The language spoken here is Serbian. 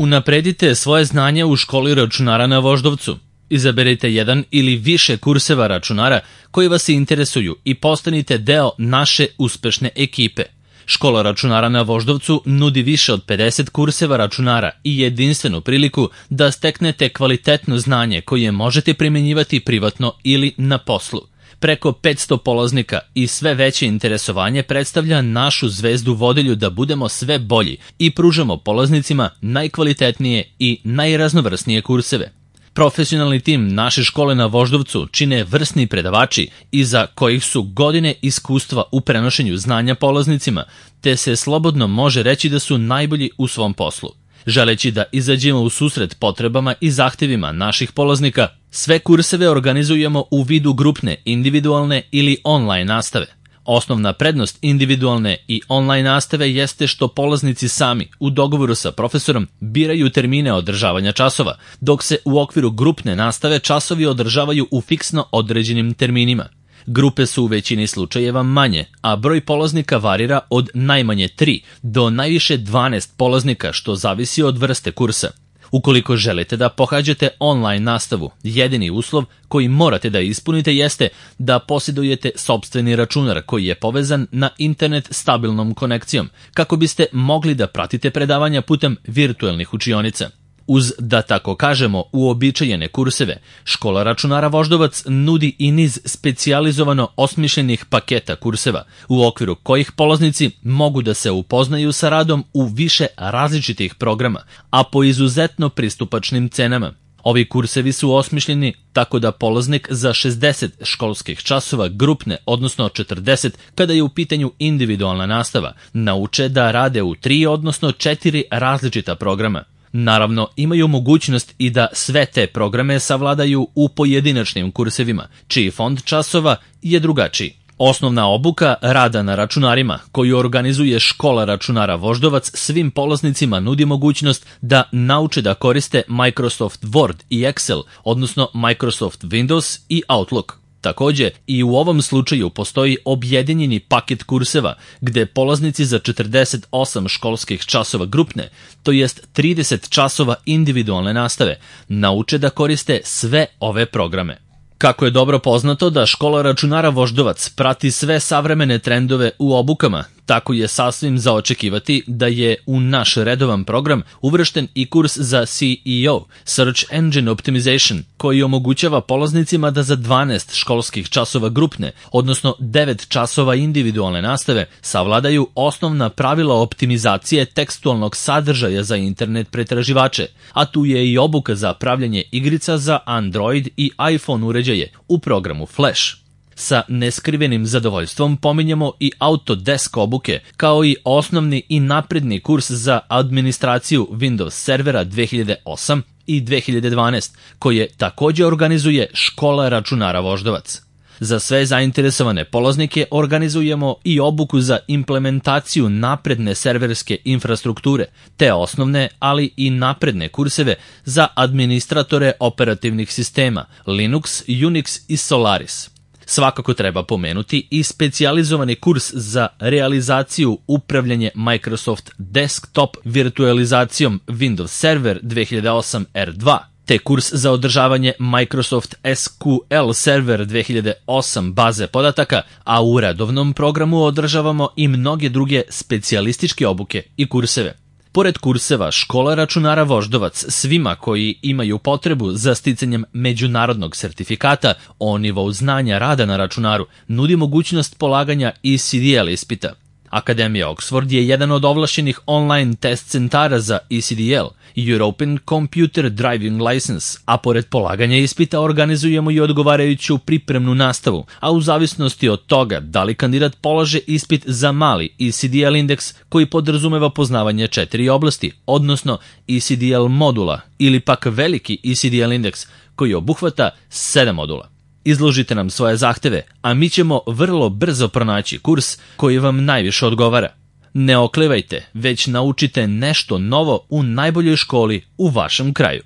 Unapredite svoje znanje u školi računara na Voždovcu. Izaberite jedan ili više kurseva računara koji vas interesuju i postanite deo naše uspešne ekipe. Škola računara na Voždovcu nudi više od 50 kurseva računara i jedinstvenu priliku da steknete kvalitetno znanje koje možete primjenjivati privatno ili na poslu. Preko 500 polaznika i sve veće interesovanje predstavlja našu zvezdu vodilju da budemo sve bolji i pružamo polaznicima najkvalitetnije i najraznovrsnije kurseve. Profesionalni tim naše škole na Voždovcu čine vrsni predavači iza kojih su godine iskustva u prenošenju znanja polaznicima, te se slobodno može reći da su najbolji u svom poslu. Želeći da izađemo u susret potrebama i zahtevima naših polaznika, sve kurseve organizujemo u vidu grupne, individualne ili online nastave. Osnovna prednost individualne i online nastave jeste što polaznici sami, u dogovoru sa profesorom, biraju termine održavanja časova, dok se u okviru grupne nastave časovi održavaju u fiksno određenim terminima. Grupe su u većini slučajeva manje, a broj polaznika varira od najmanje 3 do najviše 12 polaznika, što zavisi od vrste kursa. Ukoliko želite da pohađate online nastavu, jedini uslov koji morate da ispunite jeste da posjedujete sopstveni računar koji je povezan na internet stabilnom konekcijom, kako biste mogli da pratite predavanja putem virtuelnih učionica. Uz, da tako kažemo, uobičajene kurseve, škola računara Voždovac nudi i niz specijalizovano osmišljenih paketa kurseva, u okviru kojih polaznici mogu da se upoznaju sa radom u više različitih programa, a po izuzetno pristupačnim cenama. Ovi kursevi su osmišljeni tako da polaznik za 60 školskih časova grupne, odnosno 40 kada je u pitanju individualna nastava, nauče da rade u 3, odnosno 4 različita programa. Naravno, imaju mogućnost i da sve te programe savladaju u pojedinačnim kursevima, čiji fond časova je drugačiji. Osnovna obuka rada na računarima, koju organizuje škola računara Voždovac, svim polaznicima nudi mogućnost da nauče da koriste Microsoft Word i Excel, odnosno Microsoft Windows i Outlook. Takođe, i u ovom slučaju postoji objedinjeni paket kurseva, gde polaznici za 48 školskih časova grupne, to jest 30 časova individualne nastave, nauče da koriste sve ove programe. Kako je dobro poznato da škola računara Voždovac prati sve savremene trendove u obukama, tako je sasvim za očekivati da je u naš redovan program uvršten i kurs za SEO, Search Engine Optimization, koji omogućava polaznicima da za 12 školskih časova grupne, odnosno 9 časova individualne nastave, savladaju osnovna pravila optimizacije tekstualnog sadržaja za internet pretraživače, a tu je i obuka za pravljanje igrica za Android i iPhone uređaje u programu Flash. Sa neskrivenim zadovoljstvom pominjemo i Autodesk obuke, kao i osnovni i napredni kurs za administraciju Windows servera 2008 i 2012, koje takođe organizuje škola računara Voždovac. Za sve zainteresovane polaznike organizujemo i obuku za implementaciju napredne serverske infrastrukture, te osnovne, ali i napredne kurseve za administratore operativnih sistema Linux, Unix i Solaris. Svakako treba pomenuti i specijalizovani kurs za realizaciju upravljanje Microsoft Desktop virtualizacijom Windows Server 2008 R2, te kurs za održavanje Microsoft SQL Server 2008 baze podataka, a u redovnom programu održavamo i mnoge druge specijalističke obuke i kurseve. Pored kurseva, škola računara Voždovac svima koji imaju potrebu za sticanjem međunarodnog sertifikata o nivou znanja rada na računaru nudi mogućnost polaganja ECDL ispita. Akademija Oxford je jedan od ovlašćenih online test centara za ECDL, European Computer Driving License, a pored polaganja ispita organizujemo i odgovarajuću pripremnu nastavu, a u zavisnosti od toga da li kandidat polaže ispit za mali ECDL indeks koji podrazumeva poznavanje 4 oblasti, odnosno ECDL modula, ili pak veliki ECDL indeks koji obuhvata 7 modula. Izložite nam svoje zahteve, a mi ćemo vrlo brzo pronaći kurs koji vam najviše odgovara. Ne oklevajte, već naučite nešto novo u najboljoj školi u vašem kraju.